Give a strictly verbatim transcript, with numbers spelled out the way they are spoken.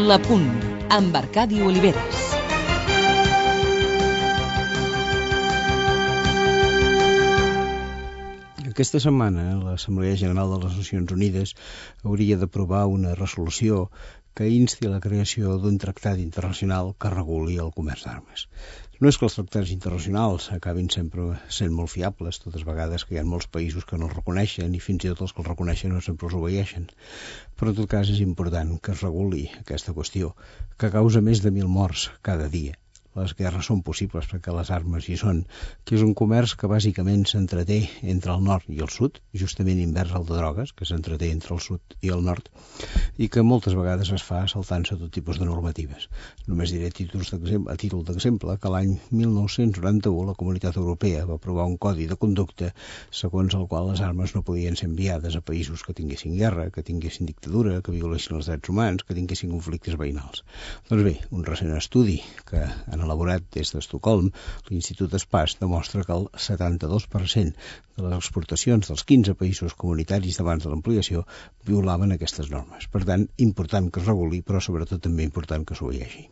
La Punt, amb Arcadi Oliveres. Aquesta setmana l'Assemblea General de les Nacions Unides hauria d'aprovar una resolució que insti a la creació d'un tractat internacional que reguli el comerç d'armes. No és que els tractats internacionals acabin sempre sent molt fiables, totes vegades que hi ha molts països que no els reconeixen i fins i tot els que els reconeixen no sempre els obeeixen. Però en tot cas és important que es reguli aquesta qüestió, que causa més de mil morts cada dia. Les guerres són possibles perquè les armes hi són, que és un comerç que bàsicament s'entreté entre el nord i el sud, justament invers al de drogues, que s'entreté entre el sud i el nord, i que moltes vegades es fa saltant-se tot tipus de normatives. Només diré títols a títol d'exemple que l'any mil nou-cents noranta-u la Comunitat Europea va aprovar un codi de conducta segons el qual les armes no podien ser enviades a països que tinguessin guerra, que tinguessin dictadura, que violessin els drets humans, que tinguessin conflictes veïnals. Doncs bé, un recent estudi que en elaborat des d'Estocolm, l'Institut Espaç demostra que el setanta-dos per cent de les exportacions dels quinze països comunitaris d'abans de l'ampliació violaven aquestes normes. Per tant, important que es reguli, però sobretot també important que s'obeeixi.